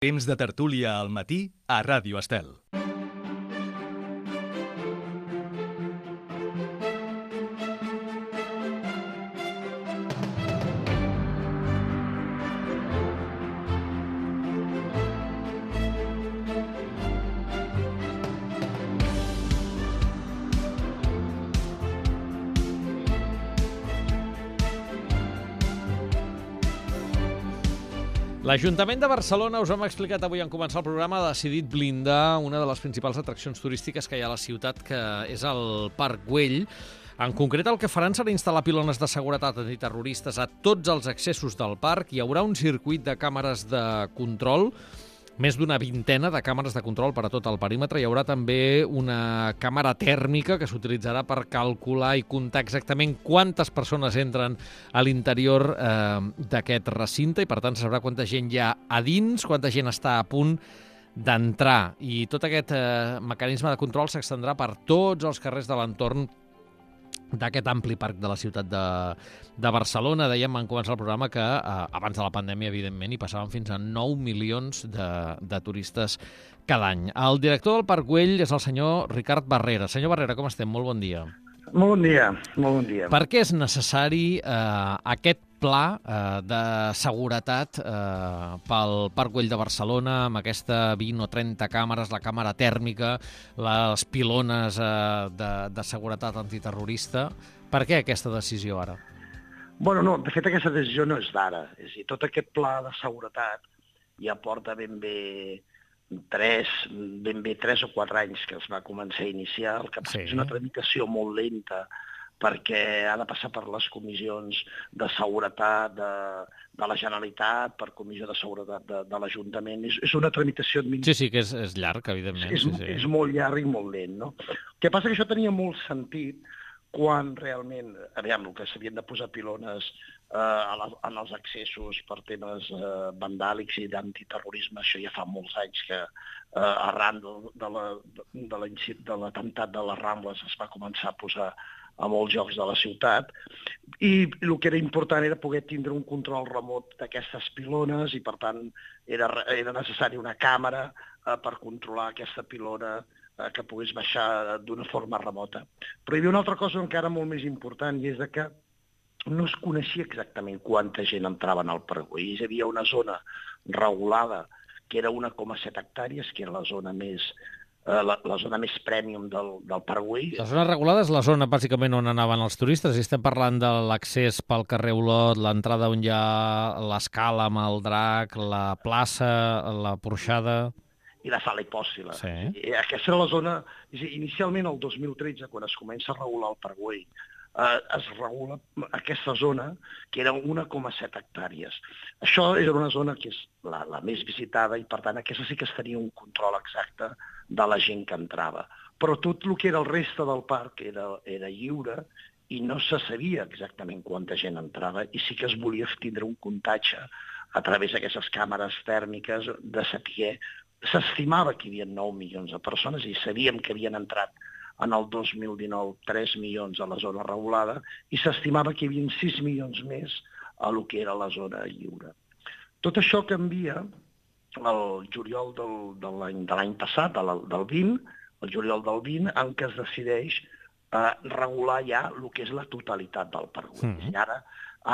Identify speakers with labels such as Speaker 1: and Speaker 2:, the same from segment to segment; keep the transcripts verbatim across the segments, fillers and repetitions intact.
Speaker 1: Temps de tertúlia al matí a Ràdio Estel.
Speaker 2: L'Ajuntament de Barcelona, us hem explicat avui en començar el programa, ha decidit blindar una de les principals atraccions turístiques que hi ha a la ciutat, que és el Parc Güell. En concret, el que faran serà instal·lar pilones de seguretat antiterroristes a tots els accessos del parc. Hi haurà un circuit de càmeres de control, més d'una vintena de càmeres de control per a tot el perímetre. Hi haurà també una càmera tèrmica que s'utilitzarà per calcular i comptar exactament quantes persones entren a l'interior eh, d'aquest recinte i, per tant, se sabrà quanta gent hi ha a dins, quanta gent està a punt d'entrar. I tot aquest eh, mecanisme de control s'extendrà per tots els carrers de l'entorn d'aquest ampli parc de la ciutat de, de Barcelona. Dèiem en començar el programa que eh, abans de la pandèmia, evidentment, hi passaven fins a nou milions de, de turistes cada any. El director del Parc Güell és el senyor Ricard Barrera. Senyor Barrera, com estem? Molt bon dia.
Speaker 3: Molt bon dia, molt bon dia.
Speaker 2: Per què és necessari eh, aquest pla eh, de seguretat eh, pel Parc Güell de Barcelona, amb aquesta vint o trenta càmeres, la càmera tèrmica, les pilones eh, de, de seguretat antiterrorista? Per què aquesta decisió ara?
Speaker 3: Bueno, no, de fet aquesta decisió no és d'ara. És a dir, tot aquest pla de seguretat ja porta ben bé tres, ben bé tres o quatre anys que es va començar a iniciar. El que sí. És una tramitació molt lenta, perquè ha de passar per les comissions de seguretat de, de la Generalitat, per comissió de seguretat de, de l'Ajuntament. És, és una tramitació administrativa.
Speaker 2: Sí, sí, que és, és llarg, evidentment.
Speaker 3: És,
Speaker 2: sí, sí.
Speaker 3: és molt llarg i molt lent, no? El que passa que això tenia molt sentit quan realment, aviam, el que s'havien de posar pilones eh, a la, en els accessos per temes eh, vandàlics i d'antiterrorisme, això ja fa molts anys que eh, arran de, de, la, de, la, de l'atemptat de les Rambles es va començar a posar a molts llocs de la ciutat, i el que era important era poder tindre un control remot d'aquestes pilones i, per tant, era, era necessari una càmera eh, per controlar aquesta pilona eh, que pogués baixar d'una forma remota. Però hi havia una altra cosa encara molt més important, i és que no es coneixia exactament quanta gent entrava en el Parc Güell. Hi havia una zona regulada, que era una coma set hectàrees, que era la zona més... La, la zona més prèmium del, del Parc Güell.
Speaker 2: La zona regulada és la zona, bàsicament, on anaven els turistes. I estem parlant de l'accés pel carrer Olot, l'entrada on hi ha l'escala amb el drac, la plaça, la porxada...
Speaker 3: I la sala hipòcila.
Speaker 2: Sí.
Speaker 3: I aquesta era la zona... Inicialment, el dos mil tretze, quan es comença a regular el Parc Güell, eh, es regula aquesta zona, que era una coma set hectàrees. Això era una zona que és la, la més visitada i, per tant, aquesta sí que es tenia un control exacte de la gent que entrava. Però tot el que era el reste del parc era, era lliure i no se sabia exactament quanta gent entrava, i sí que es volia tindre un comptatge a través d'aquestes càmeres tèrmiques de saber. S'estimava que hi havia nou milions de persones i sabíem que havien entrat en el dos mil dinou tres milions a la zona regulada i s'estimava que hi havia sis milions més a lo que era la zona lliure. Tot això canvia el juliol del, de l'any de l'any passat, del, del vint, el juliol del vint, en què es decideix eh, regular ja el que és la totalitat del Parc Güell. Mm-hmm. I ara,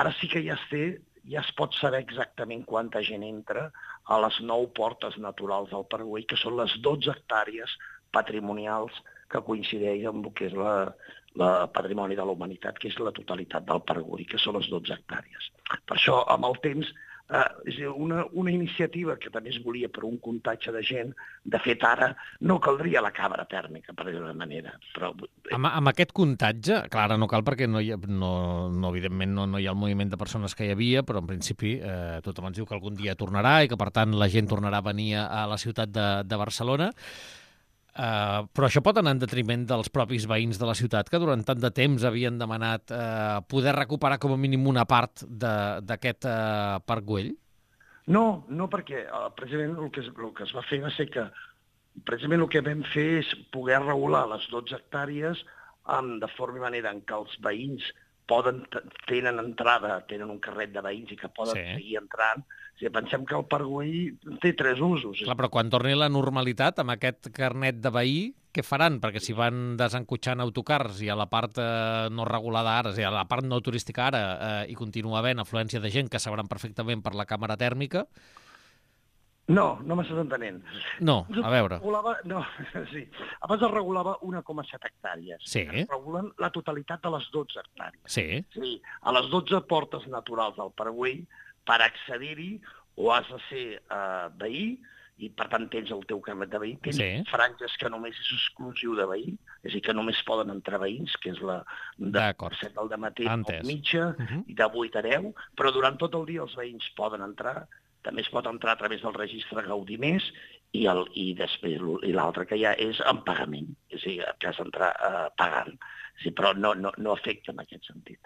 Speaker 3: ara sí que ja es, té, ja es pot saber exactament quanta gent entra a les nou portes naturals del Parc Güell, que són les dotze hectàrees patrimonials que coincideix amb el que és la, la patrimoni de la humanitat, que és la totalitat del Parc Güell, que són les dotze hectàrees. Per això, amb el temps, eh, és una, una iniciativa que també es volia per un comptatge de gent. De fet, ara no caldria la càmera tèrmica, per dir-ho d'una manera. Però...
Speaker 2: Amb, amb aquest comptatge, clar, ara no cal perquè no hi ha, no, no, evidentment no, no hi ha el moviment de persones que hi havia, però en principi eh, tothom ens diu que algun dia tornarà i que, per tant, la gent tornarà a venir a la ciutat de, de Barcelona. Uh, però això pot anar en detriment dels propis veïns de la ciutat, que durant tant de temps havien demanat uh, poder recuperar com a mínim una part d'aquest uh, Parc Güell?
Speaker 3: No, no, perquè uh, precisament el que, es, el que es va fer va ser que precisament el que vam fer és poder regular les dotze hectàrees um, de forma i manera en què els veïns poden, tenen entrada, tenen un carret de veïns i que poden
Speaker 2: Sí.
Speaker 3: seguir entrant. O sigui, pensem que el Parc Güell té tres usos.
Speaker 2: Clar, però quan torni la normalitat, amb aquest carnet de veí, què faran? Perquè si van desencotxant autocars i a la part eh, no regulada ara, és a dir, a la part no turística ara, eh, i continua havent afluència de gent que sabran perfectament per la càmera tèrmica.
Speaker 3: No, no m'estàs entenent.
Speaker 2: No, a veure.
Speaker 3: Regulava, no, sí. Abans es regulava un coma set hectàrees.
Speaker 2: Sí.
Speaker 3: Es regulen la totalitat de les dotze hectàrees.
Speaker 2: Sí.
Speaker 3: Sí, a les dotze portes naturals del Parc Güell, per accedir-hi o has de ser eh, veí, i per tant tens el teu carnet de veí, tens
Speaker 2: Sí.
Speaker 3: franges que només és exclusiu de veí, és a dir, que només poden entrar veïns, que és la de
Speaker 2: D'acord.
Speaker 3: set del dematí a
Speaker 2: Entès.
Speaker 3: mitja
Speaker 2: Mhm.
Speaker 3: i de vuit a deu, però durant tot el dia els veïns poden entrar. També es pot entrar a través del registre Gaudí Més i, el, i després l- i l'altre que hi ha és en pagament, és a dir, que has d'entrar eh, pagant. Sí, però no, no, no afecta en aquest sentit.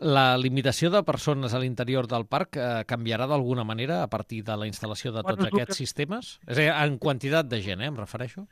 Speaker 2: La limitació de persones a l'interior del parc eh, canviarà d'alguna manera a partir de la instal·lació de
Speaker 3: Bueno,
Speaker 2: tots
Speaker 3: és el
Speaker 2: aquests
Speaker 3: que-
Speaker 2: sistemes? És a dir, en quantitat de gent, eh, em refereixo?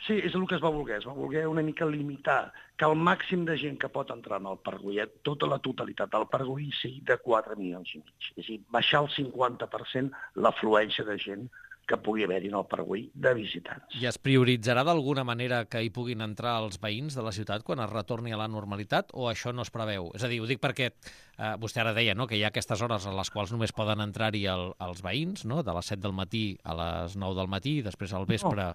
Speaker 3: Sí, és el que es va voler. Es va voler una mica limitar que el màxim de gent que pot entrar en el Parc Güell, tota la totalitat del Parc Güell, sigui de quatre milions i mig. És a dir, baixar al cinquanta per cent l'afluència de gent que pugui haver-hi en el Parc Güell de visitants.
Speaker 2: I es prioritzarà d'alguna manera que hi puguin entrar els veïns de la ciutat quan es retorni a la normalitat o això no es preveu? És a dir, ho dic perquè eh, vostè ara deia, no?, que hi ha aquestes hores a les quals només poden entrar-hi el, els veïns, no?, de les set del matí a les nou del matí i després al vespre...
Speaker 3: No.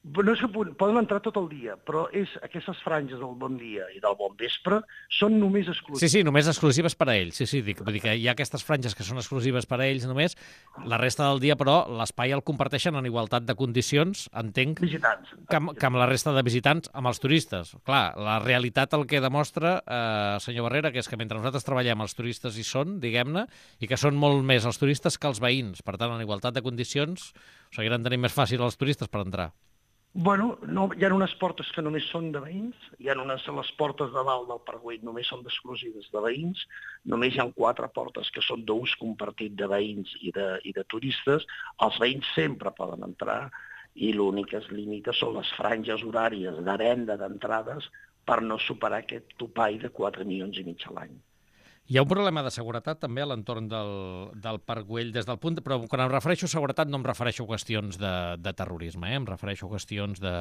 Speaker 3: No és que pu- poden entrar tot el dia, però és aquestes franges del bon dia i del bon vespre són només
Speaker 2: Sí,
Speaker 3: exclusives.
Speaker 2: sí, només exclusives per a ells. Sí, sí, dic, vull dir que hi ha aquestes franges que són exclusives per a ells només. La resta del dia, però, l'espai el comparteixen en igualtat de condicions, entenc,
Speaker 3: Visitants.
Speaker 2: que amb, que amb la resta de visitants, amb els turistes. Clar, la realitat el que demostra, eh, senyor Barrera, que és que mentre nosaltres treballem, els turistes hi són, diguem-ne, i que són molt més els turistes que els veïns. Per tant, en igualtat de condicions, ho seguiran tenint més fàcil els turistes per entrar.
Speaker 3: Bueno, no, hi ha unes portes que només són de veïns, hi ha unes, les portes de dalt del Parc Güell només són exclusives de veïns, només hi ha quatre portes que són d'ús compartit de veïns i de, i de turistes, els veïns sempre poden entrar i l'únic que es limita són les franges horàries de venda d'entrades per no superar aquest topall de quatre milions i mig a l'any.
Speaker 2: Hi ha un problema de seguretat també a l'entorn del, del Parc Güell des del punt... De, però quan em refereixo a seguretat no em refereixo a qüestions de, de terrorisme, eh? Em refereixo a qüestions de,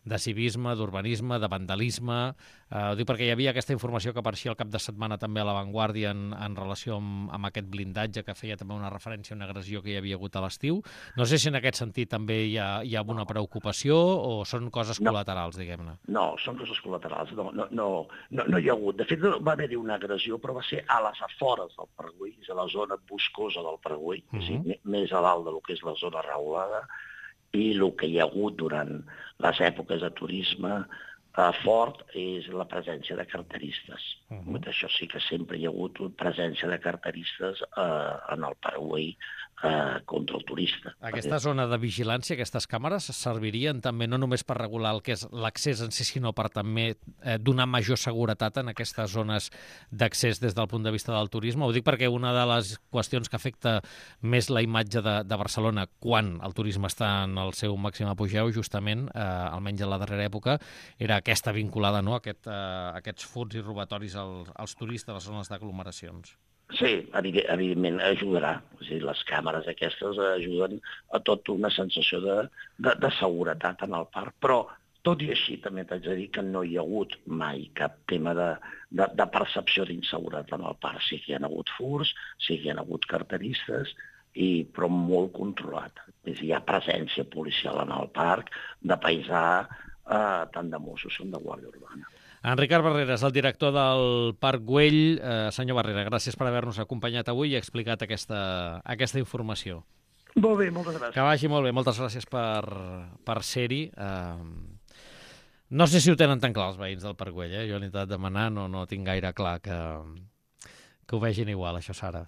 Speaker 2: de civisme, d'urbanisme, de vandalisme... Eh, ho dic perquè hi havia aquesta informació que apareixia el cap de setmana també a La Vanguardia en, en relació amb, amb aquest blindatge que feia també una referència a una agressió que hi havia hagut a l'estiu. No sé si en aquest sentit també hi ha, hi ha una preocupació o són coses
Speaker 3: No.
Speaker 2: col·laterals, diguem-ne.
Speaker 3: No, són coses col·laterals, no, no, no, no, no hi ha hagut. De fet, va haver-hi una agressió, però va ser a les afores del Parc Güell, és a la zona boscosa del Parc Güell, uh -huh. és a dir, més a dalt del que és la zona regulada, i el que hi ha hagut durant les èpoques de turisme eh, fort és la presència de carteristes. Uh -huh. Això sí que sempre hi ha hagut presència de carteristes eh, en el Parc Güell eh, contra el turista.
Speaker 2: Aquesta zona de vigilància, aquestes càmeres, servirien també no només per regular el que és l'accés en si, sinó per també eh, donar major seguretat en aquestes zones d'accés des del punt de vista del turisme. Ho dic perquè una de les qüestions que afecta més la imatge de, de Barcelona quan el turisme està en el seu màxim apogeu, justament, eh, almenys en la darrera època, era aquesta vinculada, no?, a aquest, eh, aquests furts i robatoris als, als turistes a les zones d'aglomeracions.
Speaker 3: Sí, evidentment ajudarà. O sigui, les càmeres aquestes ajuden a tota una sensació de, de, de seguretat en el parc, però tot i així també t'haig de dir que no hi ha hagut mai cap tema de, de, de percepció d'inseguretat en el parc. Sí que hi ha hagut furts, sí que hi ha hagut carteristes, i, però molt controlat. És a dir, hi ha presència policial en el parc, de paisà, eh, tant de Mossos com de Guàrdia Urbana.
Speaker 2: En Ricard Barreras, el director del Parc Güell. Eh, senyor Barrera, gràcies per haver-nos acompanyat avui i explicat aquesta, aquesta informació.
Speaker 3: Molt bé, moltes gràcies.
Speaker 2: Que vagi molt bé, moltes gràcies per, per ser-hi. Eh, no sé si ho tenen tan clar els veïns del Parc Güell, eh? Jo l'he intentat demanar, no, no tinc gaire clar que, que ho vegin igual, això, Sara.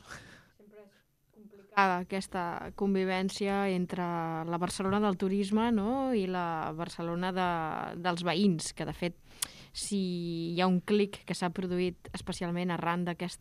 Speaker 4: Sempre és complicada aquesta convivència entre la Barcelona del turisme, no?, i la Barcelona de, dels veïns, que de fet si hi ha un clic que s'ha produït especialment arran d'aquesta